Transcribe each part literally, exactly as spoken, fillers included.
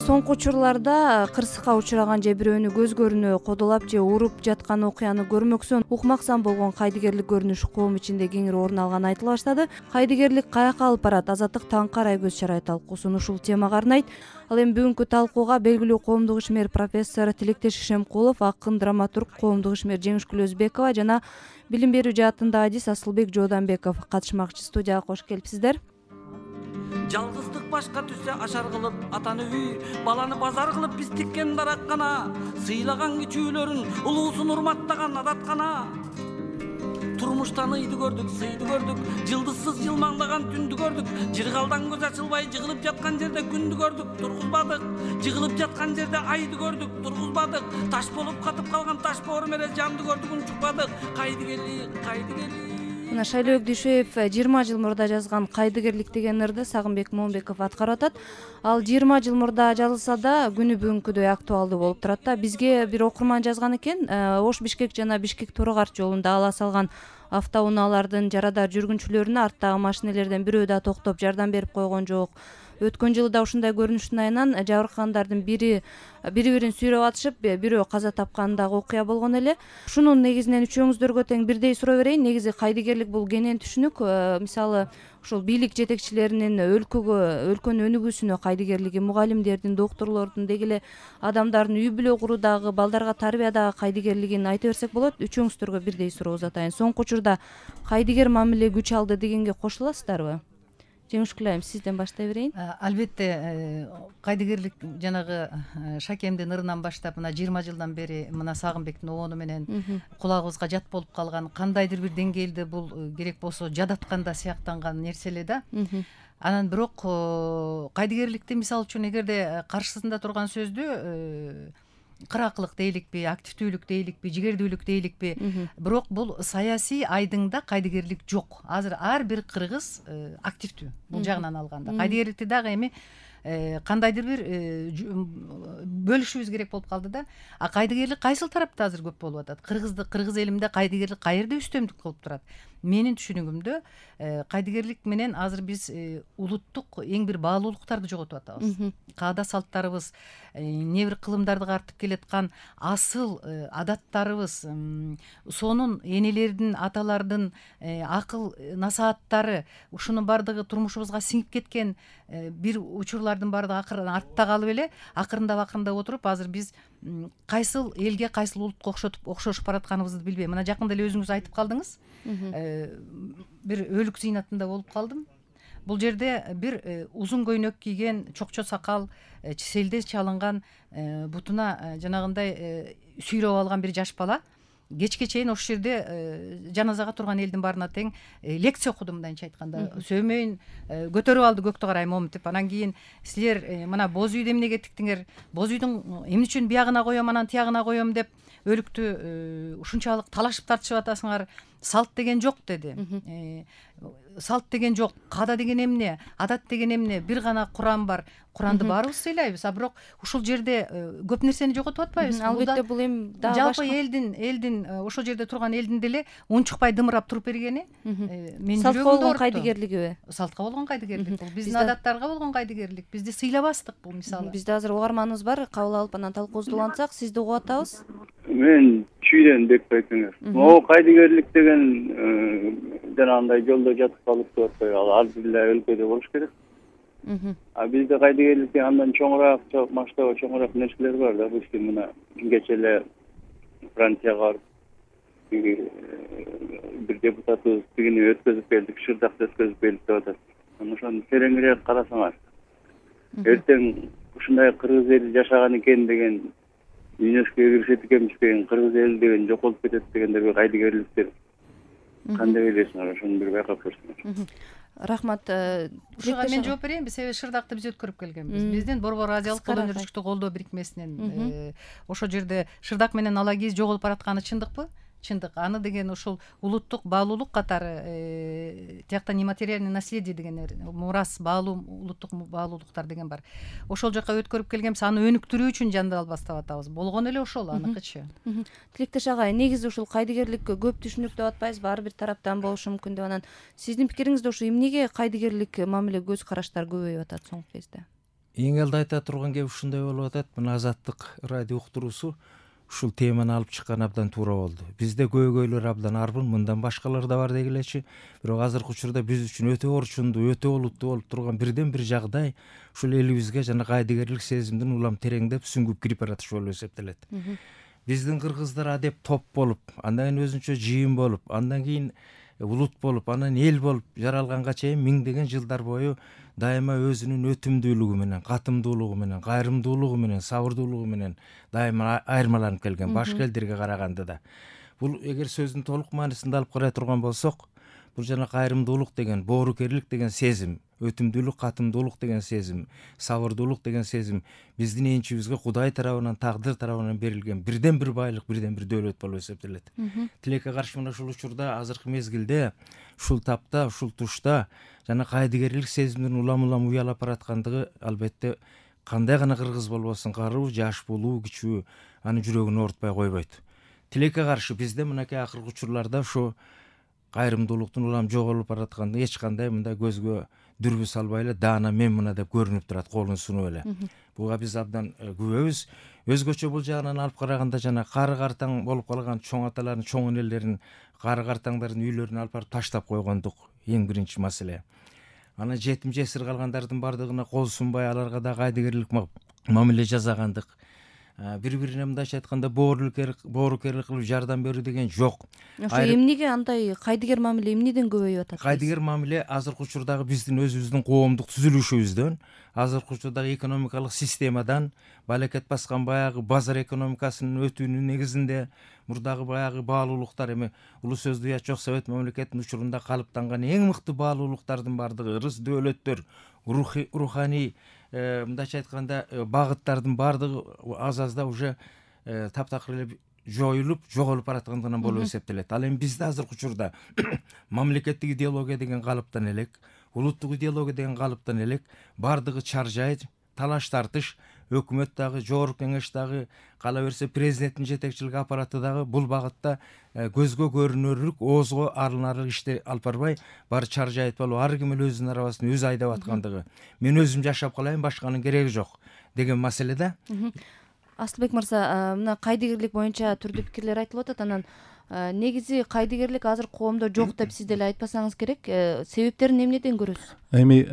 Соңку учурларда кырсыкка учураган же бирөөнү көз көрүнө кодолоп же уруп жаткан окуяны көрмөксөн укмаксан болгон кайдыгерлик көрүнүш коом ичинде кеңири орун алганы айтыла баштады. Кайдыгерлик каяка алып барат? Азаттык таңкы карай көз чарай талкуусун ушул темага арнайт. Ал эми бүгүнкү талкууга белгилүү коомдук ишмер профессор Тилектеш Ишемкулов, акын, драматург, коомдук ишмер Жеңишгүл Өзбекова жана билим берүү жаатында адис Асылбек Жооданбеков катышмакчы. Студияга кош келипсиздер. Жалгыздык башка түшсө ашар кылып атаны үй, баланы базар кылып биз тиккен дараккана, сыйлаган кичүүлөрүн улуусун урматтаган адаткана. Турмуштан ыйды көрдүк, сыйды көрдүк, жылдызсыз жылмаңдаган түндү көрдүк, жыргалдан көз ачылбай жыгылып жаткан жерде күндү көрдүк, тургузбадык, жыгылып жаткан жерде айды көрдүк, тургузбадык, таш болуп катып калган таш боору менен жанды көрдүк, унчукпадык. Кайдыгерлик, кайдыгерлик. Мына Шайлообек Дүйшөев жыйырма жыл мурда жазган Кайдыгерлик деген ырды Сагынбек Момбеков аткарып атат. Ал жыйырма жыл мурда жазылса да күнү бүгүнкүдөй актуалдуу болуп турат да. Бизге бир окурман жазган экен, Ош Бишкек жана Бишкек Торогарт жолунда ала салган автоунаалардын жарадар жүргүнчүлөрүнө арттагы машинелерден бирөө да токтоп жардам берип койгон жок. Өткөн жылы да ушундай көрүнүштүн айынан жабыркагандардын бири бири бирин сүйрөп атышып, бирөө каза тапкандагы окуя болгон эле. Ушунун негизинен үчөөңүздөргө тең бирдей суроо берейин. Негизи кайдыгерлик бул кенен түшүнүк. Мисалы, ушул бийлик жетекчилеринин өлкөгө, өлкөнүн өнүгүүсүнө кайдыгерлиги, мугалимдердин, доктурлордун, деги эле адамдардын үй бүлө куруудагы, балдарга тарбиядагы кайдыгерлигин айта берсек болот. Үчөөңүздөргө бирдей суроо узатайын. Соңку учурда кайдыгер мамиле күч алды дегенге кошуласыздарбы? Жеңишгүл айым, сизден баштай берейин. Албетте, кайдыгерлик жанагы Шакемдин ырынан баштап мына жыйырма жылдан бери мына Сагынбектин обону менен кулагыбызга жат болуп калган, кандайдыр бир деңгээлде бул керек болсо жадатканда сыяктанган нерсе эле да. Анан бирок кайдыгерликти мисалы үчүн эгерде каршысында турган сөздү кыракылык дейликпи, активдүүлүк дейликпи, жигердүүлүк дейликпи, бирок бул саясий айдыңда кайдыгерлик жок. Азыр ар бир кыргыз активдүү бул жагынан алганда. Кайдыгерликти дагы эми кандайдыр бир бөлүшүбүз керек болуп калды да. А кайдыгерлик кайсыл тарапта азыр көп болуп атат? Кыргызды кыргыз элинде кайдыгерлик каерде үстөмдүк кылып турат? Менин түшүнүгүмдө кайдыгерлик менен азыр биз улуттук эң бир баалуулуктарды жоготуп атабыз. Каада салттарыбыз, эмне бир кылымдарды картып келаткан асыл адаттарыбыз, сонун энелердин, аталардын акыл насааттары, ушунун баардыгы турмушубузга сиңип кеткен бир учурлардын баардыгы акырын артта калып эле, акырындап акырындап отуруп азыр биз кайсыл элге, кайсыл улутка окшотуп окшошуп баратканыбызды билбейм. Мына жакында эле өзүңүз айтып калдыңыз. Бир өлүк зыйнатында болуп калдым. Бул жерде бир узун көйнөк кийген, чокчо сакал, селдес чалынган, бутуна жанагындай сүйрөп алган бир жаш бала кечке чейин ошол жерде жаназага турган элдин баарына тең лекция окуду, мындайча айтканда. Сөөмөйүн көтөрүп алды көктү карай момунтип. Анан кийин силер мына боз үйдү эмнеге тиктиңер? Боз үйдүн эмне үчүн биягына коём, анан тиягына коём деп өлүктү ушунчалык талашып тартышып атасыңар? Салт деген жок деди. Салт деген жок, каада деген эмне, адат деген эмне, бир гана Куран бар. Куранды баарыбыз сыйлайбыз, а бирок ушул жерде көп нерсени жоготуп атпайбызбы? Албетте, бул эми дагы башка. Жалпы элдин, элдин ошол жерде турган элдин деле унчукпай дымырап туруп бергени менин салтка болгон кайдыгерлигиби? Салтка болгон кайдыгерлик бул. Биздин адаттарга болгон кайдыгерлик. Бизди сыйлабастык бул мисалы. Бизде азыр угарманыбыз бар, кабыл алып анан талкуубузду улантсак, сизди угуп атабыз. Мен Чүйдөн Бекбекеңер. Могу кайдыгерлик деген жанагындай жолдо жатып калып деп атпайбы? Ал ар бир өлкөдө болуш керек. А бизде кайдыгерликтен андан чоңураак, масштабы чоңураак нерселер бар да. Биз мына кече эле Францияга барып бир депутатыбыз тигини өткөзүп келдик, Шырдакты өткөзүп келдик деп атат. Ошону тереңирээк карасаңар, эртең ушундай кыргыз эли жашаган экен деген, ЮНЕСКОга киришет экенбиз деген, кыргыз эли деген жоколуп кетет дегендерге кайдыгерликтер кандай элесиңер? Ошону бир байкап көрсөңөр. Рахмат. Ушуга мен жооп берейинби? Себеби Шырдакты биз өткөрүп келгенбиз. Биздин Борбор Азиялык кол өнөрчүлүктү колдоо бирикмесинен ошол жерде Шырдак менен Алагиз жоголуп баратканы чындыкпы? Чындык. Аны деген ушул улуттук баалуулук катары тиякта нематериальный наследие деген мурас, баалуу, улуттук баалуулуктар деген бар. Ошол жака өткөрүп келгенбиз, аны өнүктүрүү үчүн жандал баштап атабыз. Болгон эле ошол аныкычы. Тилектеш агай, негизи ушул кайдыгерлик көп түшүнүк деп атпайбызбы? Ар бир тараптан болушу мүмкүн деп. Анан сиздин пикириңизде ушу эмнеге кайдыгерлик мамиле көз караштар көбөйүп атат соңку кезде? эң элде айта турган кеп ушундай болуп атат. Мына Азаттык радио уктуруусу ушул теманы алып чыккан абдан туура болду. Бизде көйгөйлөр абдан арбын, мындан башкалар да бар дегилечи. Бирок азыркы учурда биз үчүн өтө орчундуу, өтө олуттуу болуп турган бирден бир жагдай ушул элибизге жана кайдыгерлик сезимдин улам тереңдеп сүңгүп кирип баратышы болуп эсептелет. Биздин кыргыздар адеп топ болуп, андан кийин өзүнчө жыйын болуп, андан кийин улут болуп, анан эл болуп жаралганга чейин миңдеген жылдар бою дайыма өзүнүн өтүмдүүлүгү менен, катымдуулугу менен, кайрымдуулугу менен, сабырдуулугу менен дайыма айырмаланып келген башка элдерге караганда да. Бул эгер сөздүн толук маанисинде алып карай турган болсок, бул жана кайрымдуулук деген, боорукерлик деген сезим, өтүмдүүлүк, катымдуулук деген сезим, сабырдуулук деген сезим биздин энчибизге Кудай тарабынан, тагдыр тарабынан берилген бирден бир байлык, бирден бир дөөлөт болуп эсептелет. Тилекке каршы мына ушул учурда, азыркы мезгилде, ушул тапта, ушул тушта жана кайдыгерлик сезимдин улам-улам уялап бараткандыгы албетте кандай гана кыргыз болбосун, каруу, жаш, булуу, кичүү анын жүрөгүн оорутпай койбойт. Тилекке каршы бизде мынакей акыркы учурларда ушу кайрымдуулуктун улам жоголуп баратканды эч кандай мындай көзгө дүрбү салбай эле даана мен мына деп көрүнүп турат, колун сунуп эле. Буга биз абдан күбөбүз. Өзгөчө бул жагынан алып караганда жана кары картаң болуп калган чоң аталардын, чоң энелерин, кары картаңдардын үйлөрүнө алып барып таштап койгондук эң биринчи маселе. Анан жетим жесир калгандардын бардыгына кол сунбай, аларга да кайдыгерлик мамиле жасагандык. Бири-бирине мындайча айтканда боорукерлик кылып жардам берүү деген жок. Ошо эмнеге андай кайдыгер мамиле эмнеден көбөйүп атат? Кайдыгер мамиле азыркы учурдагы биздин өзүбүздүн коомдук түзүлүшүбүздөн, азыркы учурдагы экономикалык системадан, балекет баскан баягы базар экономикасынын өтүүнүн негизинде, мурдагы баягы баалуулуктар, эми улуу сөздү уят жок Совет мамлекетинин учурунда калыптанган эң мыкты баалуулуктардын бардыгы, ырыс дөөлөттөр, руханий мындайча айтканда багыттардын бардыгы аз-азда уже таптакыр эле жоюлуп, жоголуп бараткандыгынан болуп эсептелет. Ал эми бизде азыркы учурда мамлекеттик идеология деген калыптан элек, улуттук идеология деген калыптан элек бардыгы чаржай, талаш тартыш, өкмөт дагы, жогорку кеңеш дагы, кала берсе президенттин жетекчилик аппараты дагы бул багытта көзгө көрүнөрлүк, оозго алынарлык ишти алып барбай, баары чаржайып болуп, ар ким эле өзүнүн арабасын өзү айдап аткандыгы, мен өзүм жашап калайын, башканын кереги жок деген маселе да. Асылбек мырза, мына кайдыгерлик боюнча түрдүү пикирлер айтылып атат, анан негизи кайдыгерлик азыр коомдо жок деп сиз деле айтпасаңыз керек. Себептерин эмнеден көрөсүз? Эми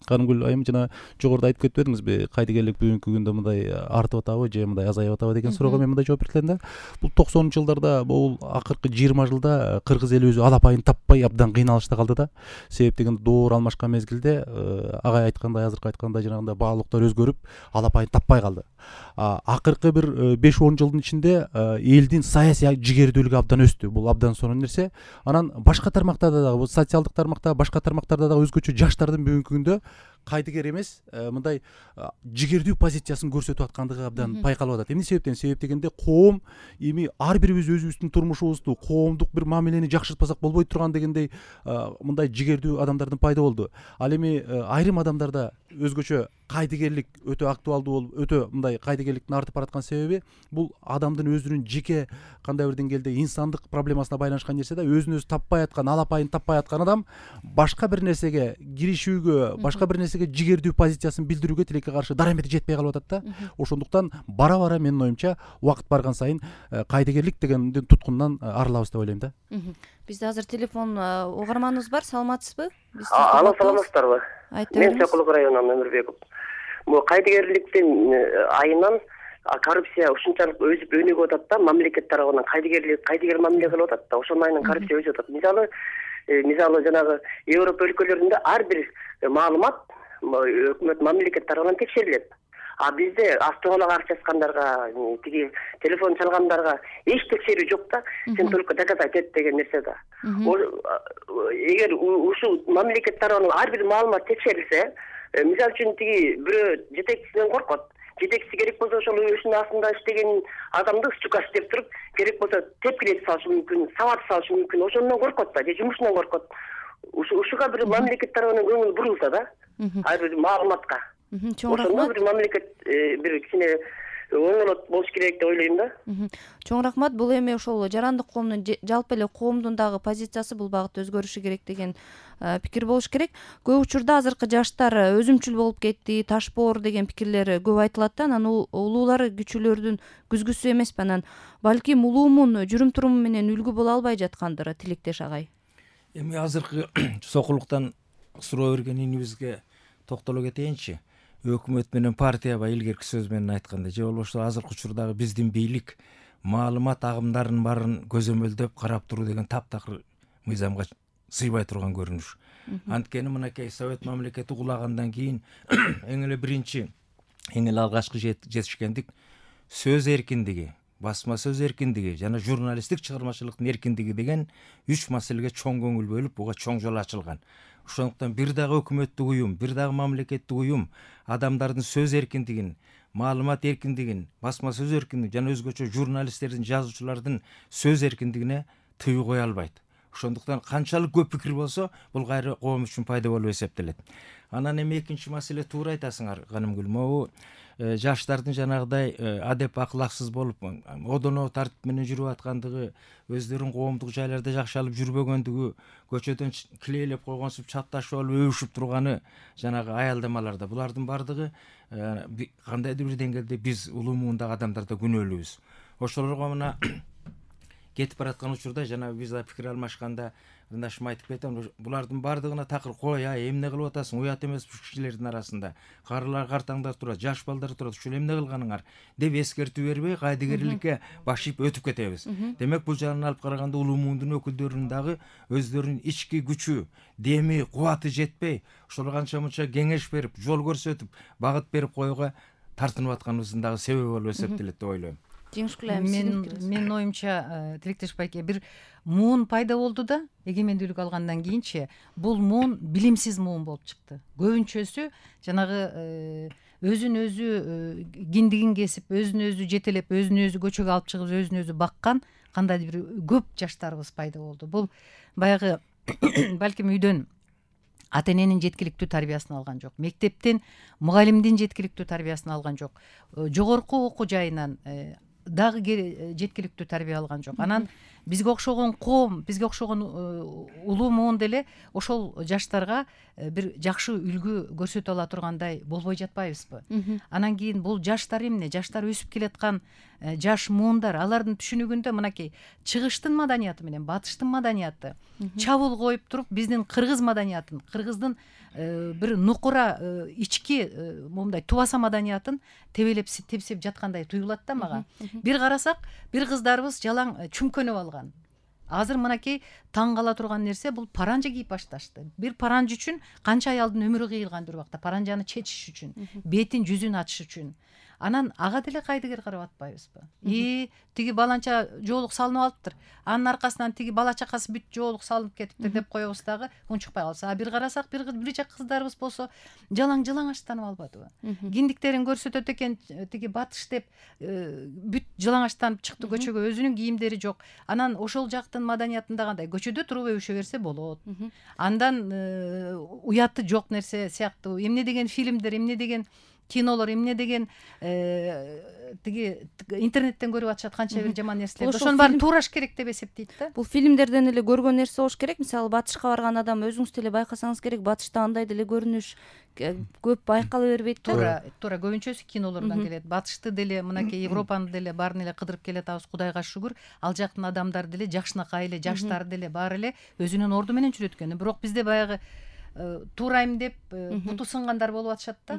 Карымгүл айым жана жогоруда айтып кетпедиңизби, кайдыгерлик бүгүнкү күндө мындай артып атабы же мындай азайып атабы деген суроого мен мындай жооп берет элем да. Бул токсонунчу жылдарда, бул акыркы жыйырма жылда кыргыз эли өзү алапайын таппай абдан кыйналышта калды да. Себеп деген доор алмашкан мезгилде агай айткандай, азыркы айткандай жанагындай баалуулуктар өзгөрүп, алапайын таппай калды. Акыркы бир беш он жылдын ичинде элдин саясий жигердүүлүгү абдан өстү. Бул абдан сонун нерсе. Анан башка тармактарда дагы, бул социалдык тармакта, башка тармактарда дагы өзгөчө жаштардын бүгүнкү күндө кайдыгер эмес, мындай жигердүү позициясын көрсөтүп аткандыгы абдан байкалып атат. Эмне себептен? Себеп дегенде коом эми ар бирибиз өзүбүздүн турмушубузду, коомдук бир мамилени жакшыртпасак болбой турган дегендей мындай жигердүү адамдардын пайда болду. Ал эми айрым адамдарда өзгөчө кайдыгерлик өтө актуалдуу болуп, өтө мындай кайдыгерликтин артып бараткан себеби бул адамдын өзүнүн жеке кандай бир деңгээлде инсандык проблемасына байланышкан нерсе да. Өзүн өзү таппай аткан, алапайын таппай аткан адам башка бир нерсеге киришүүгө, башка бир нерсеге жигердүү позициясын билдирүүгө тилекке каршы дарамети жетпей калып атат да. Ошондуктан бара-бара менин оюмча убакыт барган сайын кайдыгерлик дегендин туткунунан арылабыз деп ойлойм да. Бизде азыр телефон угарманыбыз бар, саламатсызбы? Алло, саламатсыздарбы? Айтып Мен бериңиз. Сокулук районунан Өмүрбеков. Бул кайдыгерликтин айынан коррупция ушунчалык өзүп өнүгүп атат да, мамлекет тарабынан кайдыгерлик, кайдыгер мамиле кылып атат да. Ошонун айынан коррупция өсүп атат. Мисалы, мисалы жанагы Европа өлкөлөрүндө ар бир маалымат өкмөт мамлекет тарабынан текшерилет. А бизде автоголок акча чачкандарга, тиги телефон чалгандарга эч текшерүү жок да. Сен только доказать эт деген нерсе да. Эгер ушул мамлекет тарабынан ар бир маалымат текшерилсе, мисалы үчүн тиги бирөө жетекчисинен коркот. Жетекчиси керек болсо ошол өшүнүн астында иштеген адамды стукаш деп туруп, керек болсо тепкилеп салышы мүмкүн, сабат салышы мүмкүн. Ошондон коркот да, же жумушунан коркот. Ушуга бир мамлекет тарабынан көңүл бурулса да, ар бир маалыматка. Ошондо бир мамлекет бир кичине оңолот болуш керек деп ойлойм да. Чоң рахмат. Бул эми ошол жарандык коомдун жалпы эле коомдун дагы позициясы бул багытта өзгөрүшү керек деген пикир болуш керек. Көп учурда азыркы жаштар өзүмчүл болуп кетти, таш боор деген пикирлер көп айтылат да. Анан улуулар күчүлөрдүн күзгүсү эмеспи. Анан балким улуумун жүрүм туруму менен үлгү боло албай жаткандыр, Тилектеш агай. Эми азыркы сокулуктан суроо берген инибизге токтоло кетейинчи. Өкмөт менен партияга илгерки сөз менен айтканда, же болбосо азыркы учурдагы биздин бийлик маалымат агымдарынын баарын көзөмөлдөп карап туруу деген таптакыр мыйзамга сыйбай турган көрүнүш. Анткени мынакей Совет мамлекети кулагандан кийин эң эле биринчи, эң эле алгачкы жетишкендик сөз эркиндиги, басма сөз эркиндиги жана журналисттик чыгармачылыктын эркиндиги деген үч маселеге чоң көңүл бөлүп, буга чоң жол ачылган. Ошондуктан бир дагы өкмөттүк уюм, бир дагы мамлекеттик уюм адамдардын сөз эркиндигин, маалымат эркиндигин, басма сөз эркиндигин жана өзгөчө журналисттердин, жазуучулардын сөз эркиндигине тыюу кое албайт. Ошондуктан канчалык көп пикир болсо, бул кайра коом үчүн пайда болуп эсептелет. Анан эми экинчи маселе, туура айтасыңар, Канымгүл. Могу жаштардын жанагыдай адеп акылаксыз болуп, одоно тартип менен жүрүп аткандыгы, өздөрүн коомдук жайларда жакшы алып жүрбөгөндүгү, көчөдөн килейлеп койгонсуп чатташып алып өбүшүп турганы жанагы аялдамаларда. Булардын бардыгы кандайдыр бир деңгээлде биз улуу муундагы адамдарда күнөөлүүбүз. Ошолорго мына кетип бараткан учурда жана биз да пикир алмашканда ырдашым айтып кетем, булардын бардыгына такыр кой, ай эмне кылып атасың, уят эмес бул кишилердин арасында. Карылар, картаңдар турат, жаш балдар турат, ушул эмне кылганыңар деп эскертүү бербей кайдыгерликке баш ийип өтүп кетебиз. Демек бул жагынан алып караганда улуу муундун өкүлдөрүнүн дагы өздөрүнүн ички күчү, деми, кубаты жетпей, ошол канча мынча кеңеш берип, жол көрсөтүп, багыт берип коюуга тартынып атканыбыздын дагы себеби болуп эсептелет деп ойлойм. Мен менин оюмча, Тилектеш байке, бир муун пайда болду да, эгемендүүлүк алгандан кийинчи бул муун билимсиз муун болуп чыкты. Көбүнчөсү жанагы өзүн өзү киндигин кесип, өзүн өзү жетелеп, өзүн өзү көчөгө алып чыгып, өзүн өзү баккан кандайдыр бир көп жаштарыбыз пайда болду. Бул баягы балким үйдөн ата эненин жеткиликтүү тарбиясын алган жок, мектептен мугалимдин жеткиликтүү тарбиясын алган жок, жогорку окуу жайынан дагы жеткиликтүү тарбия алган жок. Анан бизге окшогон коом, бизге окшогон улуу муун деле ошол жаштарга бир жакшы үлгү көрсөтө ала тургандай болбой жатпайбызбы? Анан кийин бул жаштар эмне? Жаштар өсүп келаткан жаш муундар, алардын түшүнүгүндө мынакей чыгыштын маданияты менен батыштын маданияты чабуул коюп туруп, биздин кыргыз маданиятын, кыргыздын бир нукура ички момундай тубаса маданиятын тебелеп тепсеп жаткандай туюлат да мага. Бир карасак, бир кыздарыбыз жалаң чүмкөнүп алган. Азыр мынакей таң кала турган нерсе, бул паранжа кийип башташты. Бир паранжа үчүн канча аялдын өмүрү кыйылган бир убакта, паранжаны чечиш үчүн, бетин жүзүн ачыш үчүн. Анан ага деле кайдыгер карап атпайбызбы? И тиги баланча жоолук салынып алыптыр. Анын аркасынан тиги бала чакасы бүт жоолук салынып кетиптир деп коебуз дагы, унчукпай калса. А бир карасак, бир бир жак кыздарыбыз болсо жалаң жалаңачтанып албадыбы? Киндиктерин көрсөтөт экен, тиги батыш деп бүт жалаңачтанып чыкты көчөгө, өзүнүн кийимдери жок. Анан ошол жактын маданиятында кандай? Көчөдө туруп өбүшө берсе болот. Андан уяты жок нерсе сыяктуу эмне деген фильмдер, эмне деген кинолор, эмне деген тиги интернеттен көрүп атышат канча бир жаман нерселер. Ошонун баарын туураш керек деп эсептейт да. Бул фильмдерден эле көргөн нерсе болуш керек. Мисалы батышка барган адам өзүңүз деле байкасаңыз керек, батышта андай деле көрүнүш көп байкала бербейт да. Туура, туура көбүнчөсү кинолордон келет. Батышты деле, мынакей Европаны деле баарын эле кыдырып келатабыз, Кудайга шүгүр. Ал жактын адамдары деле, жакшынакай эле, жаштары деле баары эле өзүнүн орду менен жүрөт экен. Бирок бизде баягы туурайм деп буту сынгандар болуп атышат да.